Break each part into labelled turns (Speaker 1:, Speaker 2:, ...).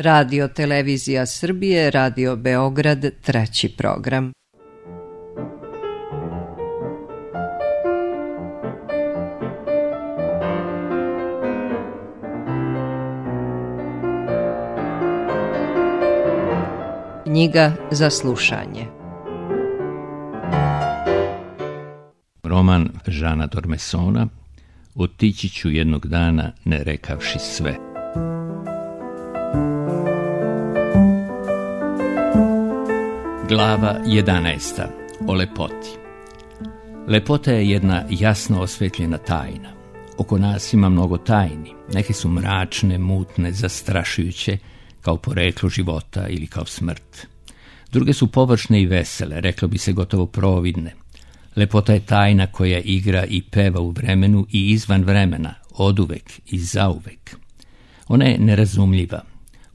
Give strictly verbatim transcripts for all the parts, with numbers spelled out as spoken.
Speaker 1: Radio Televizija Srbije, Radio Beograd, treći program. Knjiga za slušanje.
Speaker 2: Roman Žana Dormesona Otići ću jednog dana ne rekavši sve. Glava jedanaesta. O lepoti. Lepota je jedna jasno osvetljena tajna. Oko nas ima mnogo tajni. Neke su mračne, mutne, zastrašujuće, kao poreklo života ili kao smrt. Druge su površne i vesele, reklo bi se gotovo providne. Lepota je tajna koja igra i peva u vremenu i izvan vremena, oduvek i zauvek. Ona je nerazumljiva.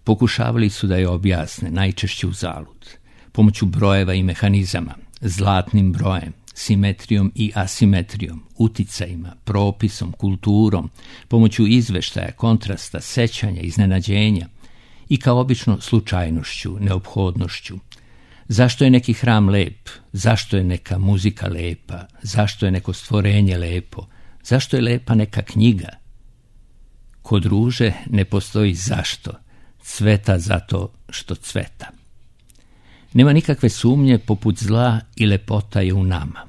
Speaker 2: Pokušavali su da je objasne, najčešće uzalud. Pomoću brojeva i mehanizama, zlatnim brojem, simetrijom i asimetrijom, uticajima, propisom, kulturom, pomoću izveštaja, kontrasta, sećanja, iznenađenja i kao obično slučajnošću, neophodnošću. Zašto je neki hram lep? Zašto je neka muzika lepa? Zašto je neko stvorenje lepo? Zašto je lepa neka knjiga? Kod ruže ne postoji zašto, cveta zato što cveta. Nema nikakve sumnje, poput zla i lepota je u nama.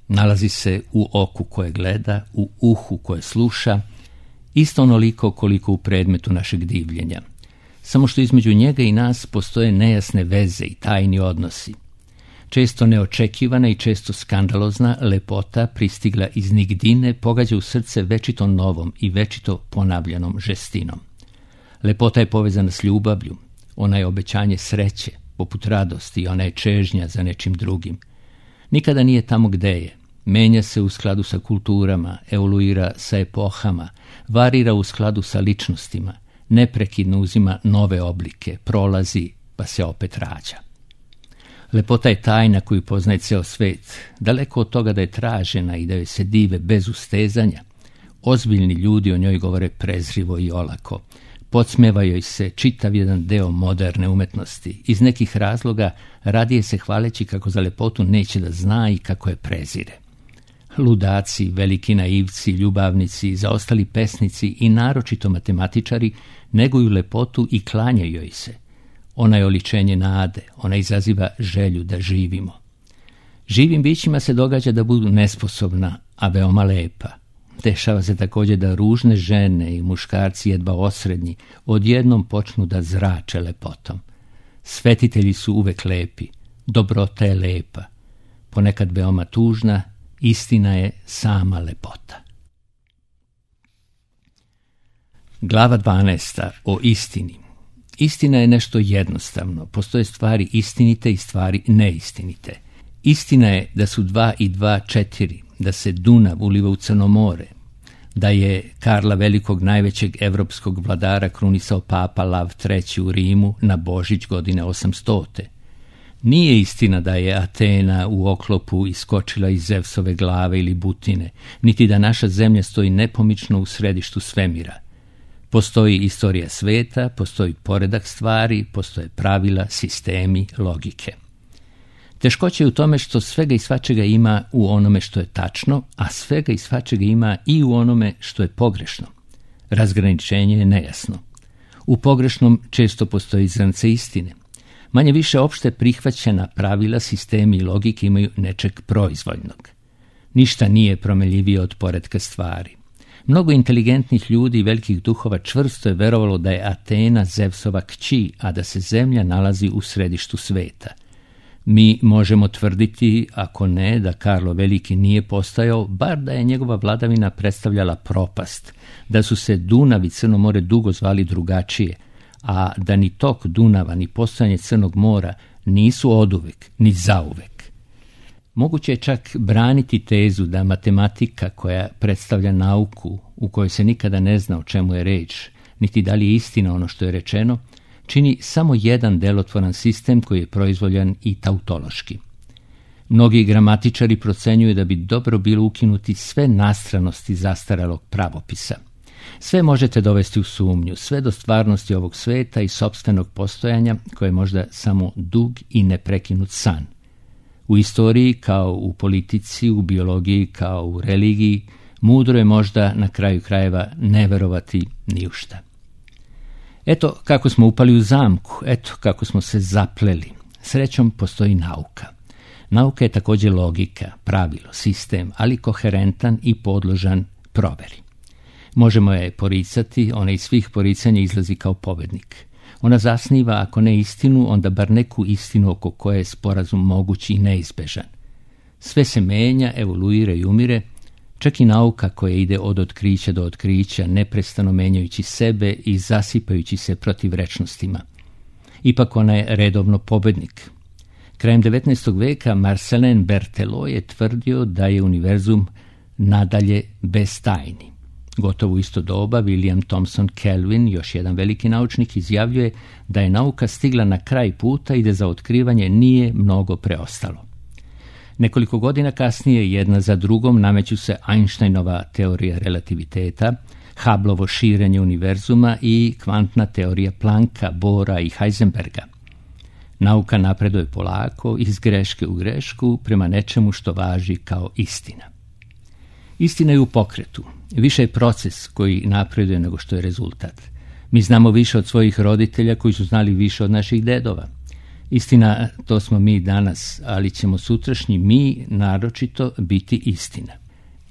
Speaker 2: Nalazi se u oku koje gleda, u uhu koje sluša, isto onoliko koliko u predmetu našeg divljenja. Samo što između njega i nas postoje nejasne veze i tajni odnosi. Često neočekivana i često skandalozna lepota pristigla iz nigdine pogađa u srce večito novom i večito ponavljanom žestinom. Lepota je povezana s ljubavlju, ona je obećanje sreće, poput radosti, ona je čežnja za nečim drugim. Nikada nije tamo gde je. Menja se u skladu sa kulturama, evoluira sa epohama, varira u skladu sa ličnostima, neprekidno uzima nove oblike, prolazi pa se opet rađa. Lepota je tajna koju poznaje ceo svet, daleko od toga da je tražena i da joj se dive bez ustezanja. Ozbiljni ljudi o njoj govore prezrivo i olako. Podsmeva joj se čitav jedan deo moderne umetnosti. Iz nekih razloga radije se hvaleći kako za lepotu neće da zna i kako je prezire. Ludaci, veliki naivci, ljubavnici, zaostali pesnici i naročito matematičari neguju lepotu i klanjaju joj se. Ona je oličenje nade, ona izaziva želju da živimo. Živim bićima se događa da budu nesposobna, a veoma lepa. Dešava se također da ružne žene i muškarci jedva osrednji odjednom počnu da zrače lepotom. Svetitelji su uvek lepi, dobrota je lepa, ponekad veoma tužna, istina je sama lepota. Glava dvanaesta. O istini. Istina je nešto jednostavno, postoje stvari istinite i stvari neistinite. Istina je da su dva i dva četiri, da se Dunav uliva u Crno more, da je Karla Velikog, najvećeg evropskog vladara, krunisao papa Lav treći u Rimu na Božić godine osamstote. Nije istina da je Atena u oklopu iskočila iz Zevsove glave ili butine, niti da naša zemlja stoji nepomično u središtu svemira. Postoji istorija sveta, postoji poredak stvari, postoje pravila, sistemi, logike. Teškoća je u tome što svega i svačega ima u onome što je tačno, a svega i svačega ima i u onome što je pogrešno. Razgraničenje je nejasno. U pogrešnom često postoji zrnce istine. Manje više opšte prihvaćena pravila, sistemi i logike imaju nečeg proizvoljnog. Ništa nije promenljivije od poretka stvari. Mnogo inteligentnih ljudi i velikih duhova čvrsto je verovalo da je Atena Zevsova kći, a da se zemlja nalazi u središtu sveta. Mi možemo tvrditi, ako ne, da Karlo Veliki nije postojao, bar da je njegova vladavina predstavljala propast, da su se Dunav i Crno more dugo zvali drugačije, a da ni tok Dunava ni postojanje Crnog mora nisu oduvek ni zauvek. Moguće je čak braniti tezu da matematika koja predstavlja nauku u kojoj se nikada ne zna o čemu je reč, niti da li je istina ono što je rečeno, čini samo jedan delotvoran sistem koji je proizvoljan i tautološki. Mnogi gramatičari procenjuju da bi dobro bilo ukinuti sve nastranosti zastarelog pravopisa. Sve možete dovesti u sumnju, sve do stvarnosti ovog sveta i sopstvenog postojanja koje je možda samo dug i neprekinut san. U istoriji kao u politici, u biologiji kao u religiji, mudro je možda na kraju krajeva ne verovati ni u šta. Eto kako smo upali u zamku, eto kako smo se zapleli. Srećom postoji nauka. Nauka je također logika, pravilo, sistem, ali koherentan i podložan proveri. Možemo je poricati, ona iz svih poricanja izlazi kao pobednik. Ona zasniva, ako ne istinu, onda bar neku istinu oko koje je sporazum moguć i neizbežan. Sve se menja, evoluira i umire, čak i nauka koja ide od otkrića do otkrića, neprestano menjajući sebe i zasipajući se protivrečnostima. Ipak ona je redovno pobednik. Krajem devetnaestog veka Marcelin Berthelot je tvrdio da je univerzum nadalje bez tajni. Gotovo u isto doba William Thomson Kelvin, još jedan veliki naučnik, izjavljuje da je nauka stigla na kraj puta i da za otkrivanje nije mnogo preostalo. Nekoliko godina kasnije, jedna za drugom, nameću se Einsteinova teorija relativiteta, Hubbleovo širenje univerzuma i kvantna teorija Plancka, Bohra i Heisenberga. Nauka napreduje polako, iz greške u grešku, prema nečemu što važi kao istina. Istina je u pokretu. Više je proces koji napreduje nego što je rezultat. Mi znamo više od svojih roditelja koji su znali više od naših dedova. Istina, to smo mi danas, ali ćemo sutrašnji mi naročito biti istina.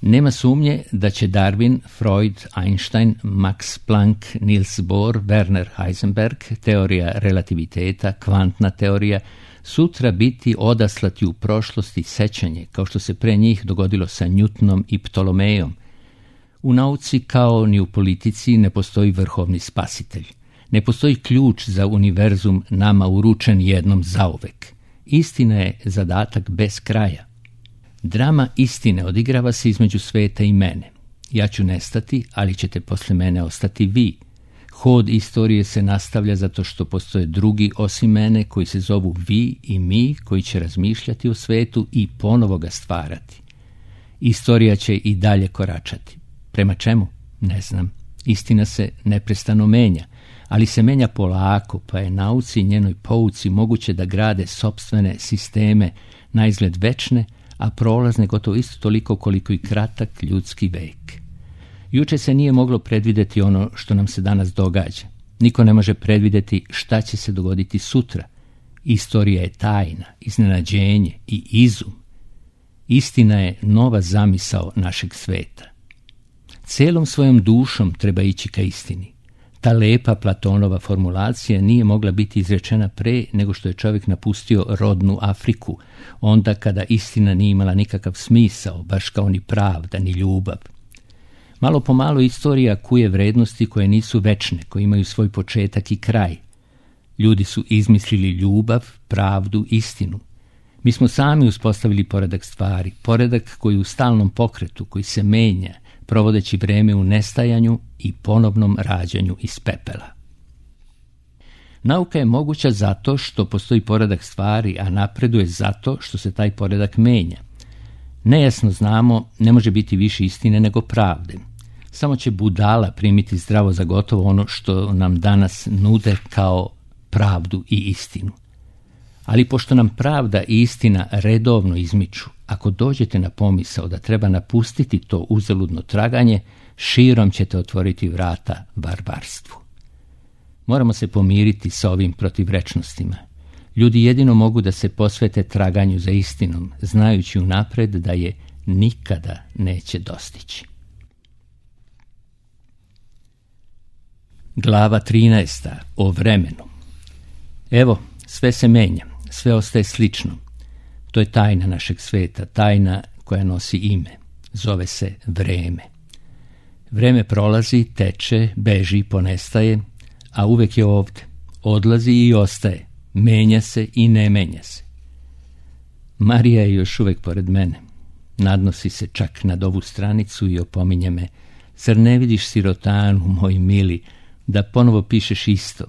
Speaker 2: Nema sumnje da će Darwin, Freud, Einstein, Max Planck, Niels Bohr, Werner Heisenberg, teorija relativiteta, kvantna teorija, sutra biti odaslati u prošlosti sećanje, kao što se pre njih dogodilo sa Newtonom i Ptolomejom. U nauci kao ni u politici ne postoji vrhovni spasitelj. Ne postoji ključ za univerzum nama uručen jednom zauvek. Istina je zadatak bez kraja. Drama istine odigrava se između sveta i mene. Ja ću nestati, ali ćete posle mene ostati vi. Hod istorije se nastavlja zato što postoje drugi osim mene koji se zovu vi i mi, koji će razmišljati o svetu i ponovo ga stvarati. Istorija će i dalje koračati. Prema čemu? Ne znam. Istina se neprestano menja, ali se menja polako, pa je nauci i njenoj pouci moguće da grade sopstvene sisteme, naizgled večne, a prolazne gotovo isto toliko koliko i kratak ljudski vek. Juče se nije moglo predvideti ono što nam se danas događa. Niko ne može predvideti šta će se dogoditi sutra. Istorija je tajna, iznenađenje i izum. Istina je nova zamisao našeg sveta. Celom svojom dušom treba ići ka istini. Ta lepa Platonova formulacija nije mogla biti izrečena pre nego što je čovjek napustio rodnu Afriku, onda kada istina nije imala nikakav smisao, baš kao ni pravda, ni ljubav. Malo po malo istorija kuje vrednosti koje nisu večne, koje imaju svoj početak i kraj. Ljudi su izmislili ljubav, pravdu, istinu. Mi smo sami uspostavili poredak stvari, poredak koji je u stalnom pokretu, koji se menja, provodeći vreme u nestajanju i ponovnom rađanju iz pepela. Nauka je moguća zato što postoji poredak stvari, a napreduje zato što se taj poredak menja. Nejasno znamo, ne može biti više istine nego pravde. Samo će budala primiti zdravo za gotovo ono što nam danas nude kao pravdu i istinu. Ali pošto nam pravda i istina redovno izmiču, ako dođete na pomisao da treba napustiti to uzaludno traganje, širom ćete otvoriti vrata barbarstvu. Moramo se pomiriti sa ovim protivrečnostima. Ljudi jedino mogu da se posvete traganju za istinom, znajući unapred da je nikada neće dostići. Glava trinaesta. O vremenu. Evo, sve se menja, sve ostaje slično. To je tajna našeg sveta, tajna koja nosi ime. Zove se vreme. Vreme prolazi, teče, beži, ponestaje, a uvek je ovde. Odlazi i ostaje. Menja se i ne menja se. Marija je još uvek pored mene. Nadnosi se čak nad ovu stranicu i opominje me. Zar ne vidiš, sirotanu, moj mili, da ponovo pišeš isto?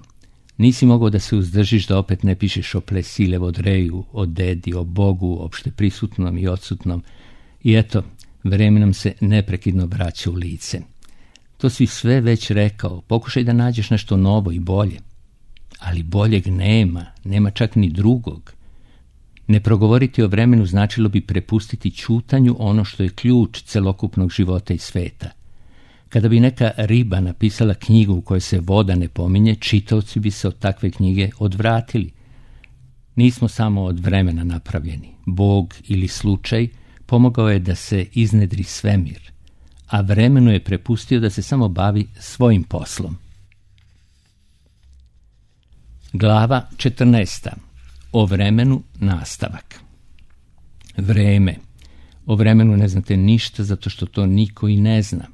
Speaker 2: Nisi mogao da se uzdržiš da opet ne pišeš o Plesile Vodreju, o dedi, o Bogu, opšte prisutnom i odsutnom. I eto, vreme nam se neprekidno vraća u lice. To si sve već rekao, pokušaj da nađeš nešto novo i bolje. Ali boljeg nema, nema čak ni drugog. Ne progovoriti o vremenu značilo bi prepustiti ćutanju ono što je ključ celokupnog života i sveta. Kada bi neka riba napisala knjigu u kojoj se voda ne pominje, čitaoci bi se od takve knjige odvratili. Nismo samo od vremena napravljeni. Bog ili slučaj pomogao je da se iznedri svemir, a vremenu je prepustio da se samo bavi svojim poslom. Glava četrnaesta. O vremenu nastavak. Vreme. O vremenu ne znate ništa zato što to niko i ne zna.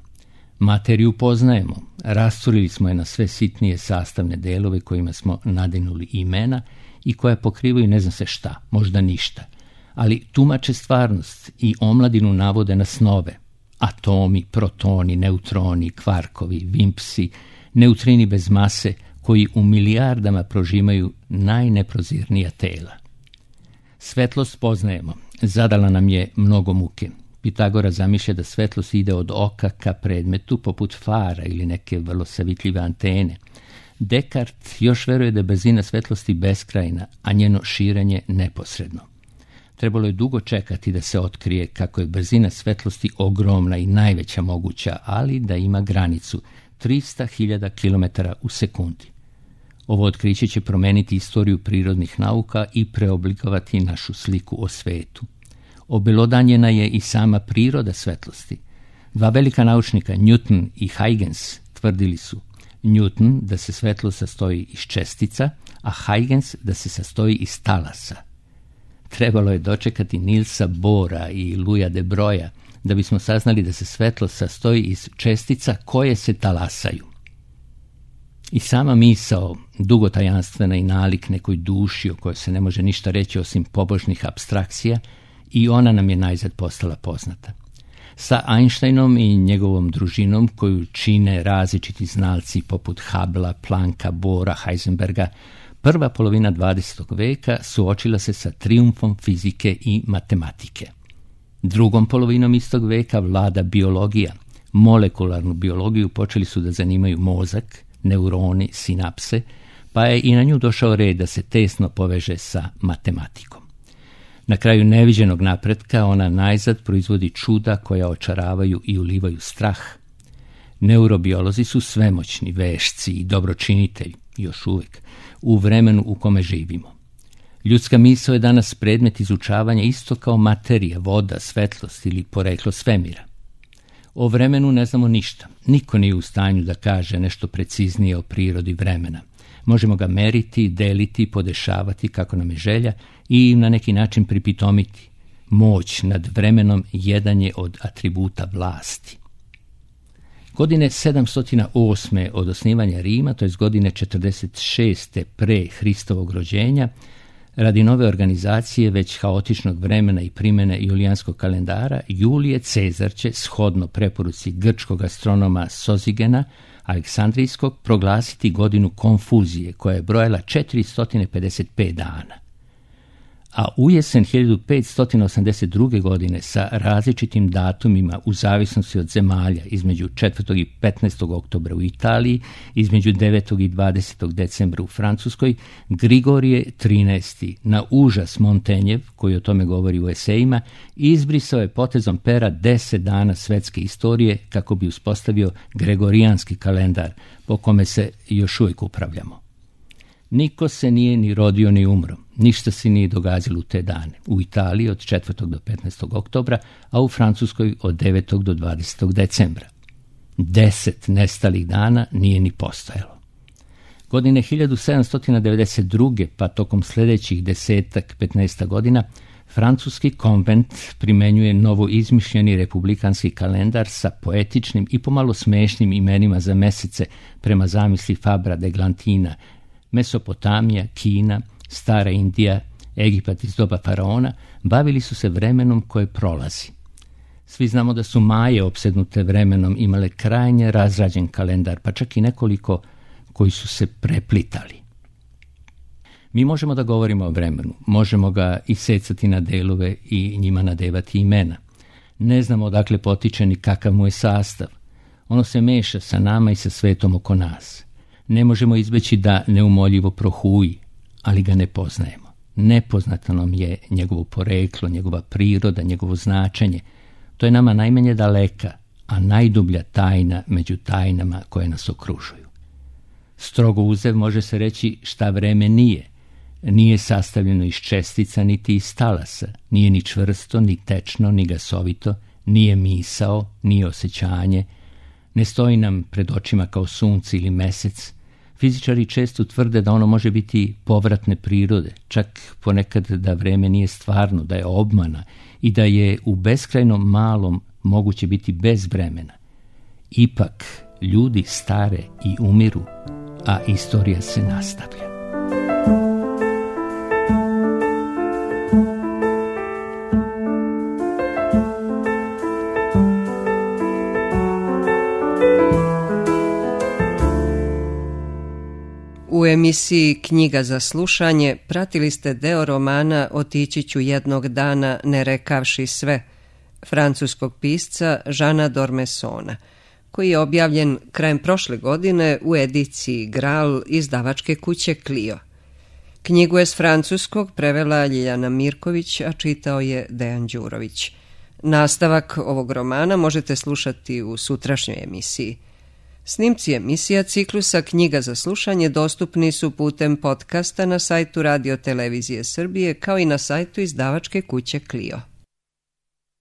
Speaker 2: Materiju poznajemo, rasturili smo je na sve sitnije sastavne delove kojima smo nadinuli imena i koja pokrivaju ne zna se šta, možda ništa, ali tumače stvarnost i omladinu navode na snove. Atomi, protoni, neutroni, kvarkovi, vimpsi, neutrini bez mase koji u milijardama prožimaju najneprozirnija tela. Svetlost poznajemo, zadala nam je mnogo muke. Pitagora zamišlja da svetlost ide od oka ka predmetu poput fara ili neke vrlo savitljive antene. Descartes još veruje da je brzina svetlosti beskrajna, a njeno širenje neposredno. Trebalo je dugo čekati da se otkrije kako je brzina svetlosti ogromna i najveća moguća, ali da ima granicu trista hiljada kilometara u sekundi. Ovo otkriće će promeniti istoriju prirodnih nauka i preoblikovati našu sliku o svetu. Obelodanjena je i sama priroda svetlosti. Dva velika naučnika, Newton i Huygens, tvrdili su Newton da se svetlost sastoji iz čestica, a Huygens da se sastoji iz talasa. Trebalo je dočekati Nilsa Bohra i Louisa de Broglieja da bismo saznali da se svetlost sastoji iz čestica koje se talasaju. I sama misao, dugotajanstvena i nalik nekoj duši o kojoj se ne može ništa reći osim pobožnih apstrakcija, i ona nam je najzad postala poznata. Sa Einsteinom i njegovom družinom koju čine različiti znalci poput Hubbla, Plancka, Bohra, Heisenberga, prva polovina dvadesetog veka suočila se sa trijumfom fizike i matematike. Drugom polovinom istog veka vlada biologija. Molekularnu biologiju počeli su da zanimaju mozak, neuroni, sinapse, pa je i na nju došao red da se tesno poveže sa matematikom. Na kraju neviđenog napretka ona najzad proizvodi čuda koja očaravaju i ulivaju strah. Neurobiolozi su svemoćni, vešci i dobročinitelji, još uvijek, u vremenu u kome živimo. Ljudska misao je danas predmet izučavanja isto kao materija, voda, svetlost ili poreklo svemira. O vremenu ne znamo ništa. Niko nije u stanju da kaže nešto preciznije o prirodi vremena. Možemo ga meriti, deliti, podešavati kako nam je želja i na neki način pripitomiti. Moć nad vremenom jedan je od atributa vlasti. Godine sedamsto osme od osnivanja Rima, to je godine četrdeset šeste pre Hristovog rođenja, radi nove organizacije već haotičnog vremena i primjene julijanskog kalendara, Julije Cezar će, shodno preporuci grčkog astronoma Sozigena, Aleksandrijskog, proglasiti godinu konfuzije, koja je brojala četiristo pedeset pet dana. A u jesen hiljadu petsto osamdeset druge. godine sa različitim datumima u zavisnosti od zemalja između četvrtog i petnaestog oktobra u Italiji, između devetog i dvadesetog decembra u Francuskoj, Grigorije trinaesti na užas Montenjev, koji o tome govori u esejima, izbrisao je potezom pera deset dana svetske istorije kako bi uspostavio gregorijanski kalendar po kome se još uvijek upravljamo. Niko se nije ni rodio ni umro, ništa se nije događalo u te dane. U Italiji od četvrtog do petnaestog oktobra, a u Francuskoj od devetog do dvadesetog decembra. Deset nestalih dana nije ni postojalo. Godine hiljadu sedamsto devedeset druge. pa tokom sljedećih desetak, petnaesta godina, francuski konvent primenjuje novo izmišljeni republikanski kalendar sa poetičnim i pomalo smešnim imenima za mesece prema zamisli Fabra de Glantina. Mesopotamija, Kina, Stara Indija, Egipat iz doba faraona bavili su se vremenom koje prolazi. Svi znamo da su Maje opsednute vremenom imale krajnje razrađen kalendar, pa čak i nekoliko koji su se preplitali. Mi možemo da govorimo o vremenu, možemo ga isecati na delove i njima nadevati imena. Ne znamo odakle potiče ni kakav mu je sastav. Ono se meša sa nama i sa svetom oko nas. Ne možemo izbeći da neumoljivo prohuji, ali ga ne poznajemo. Nepoznato nam je njegovo poreklo, njegova priroda, njegovo značenje. To je nama najmanje daleka, a najdublja tajna među tajnama koje nas okružuju. Strogo uzev može se reći šta vreme nije. Nije sastavljeno iz čestica niti iz talasa, nije ni čvrsto, ni tečno, ni gasovito, nije misao, nije osjećanje, ne stoji nam pred očima kao sunce ili mesec. Fizičari često tvrde da ono može biti povratne prirode, čak ponekad da vreme nije stvarno, da je obmana i da je u beskrajnom malom moguće biti bez vremena. Ipak, ljudi stare i umiru, a istorija se nastavlja.
Speaker 1: U emisiji Knjiga za slušanje pratili ste deo romana Otići ću jednog dana ne rekavši sve, francuskog pisca Žana Dormesona, koji je objavljen krajem prošle godine u ediciji Gral izdavačke kuće Clio. Knjigu je s francuskog prevela Ljiljana Mirković, a čitao je Dejan Đurović. Nastavak ovog romana možete slušati u sutrašnjoj emisiji. Snimci emisija ciklusa Knjiga za slušanje dostupni su putem podcasta na sajtu Radio Televizije Srbije kao i na sajtu izdavačke kuće Clio.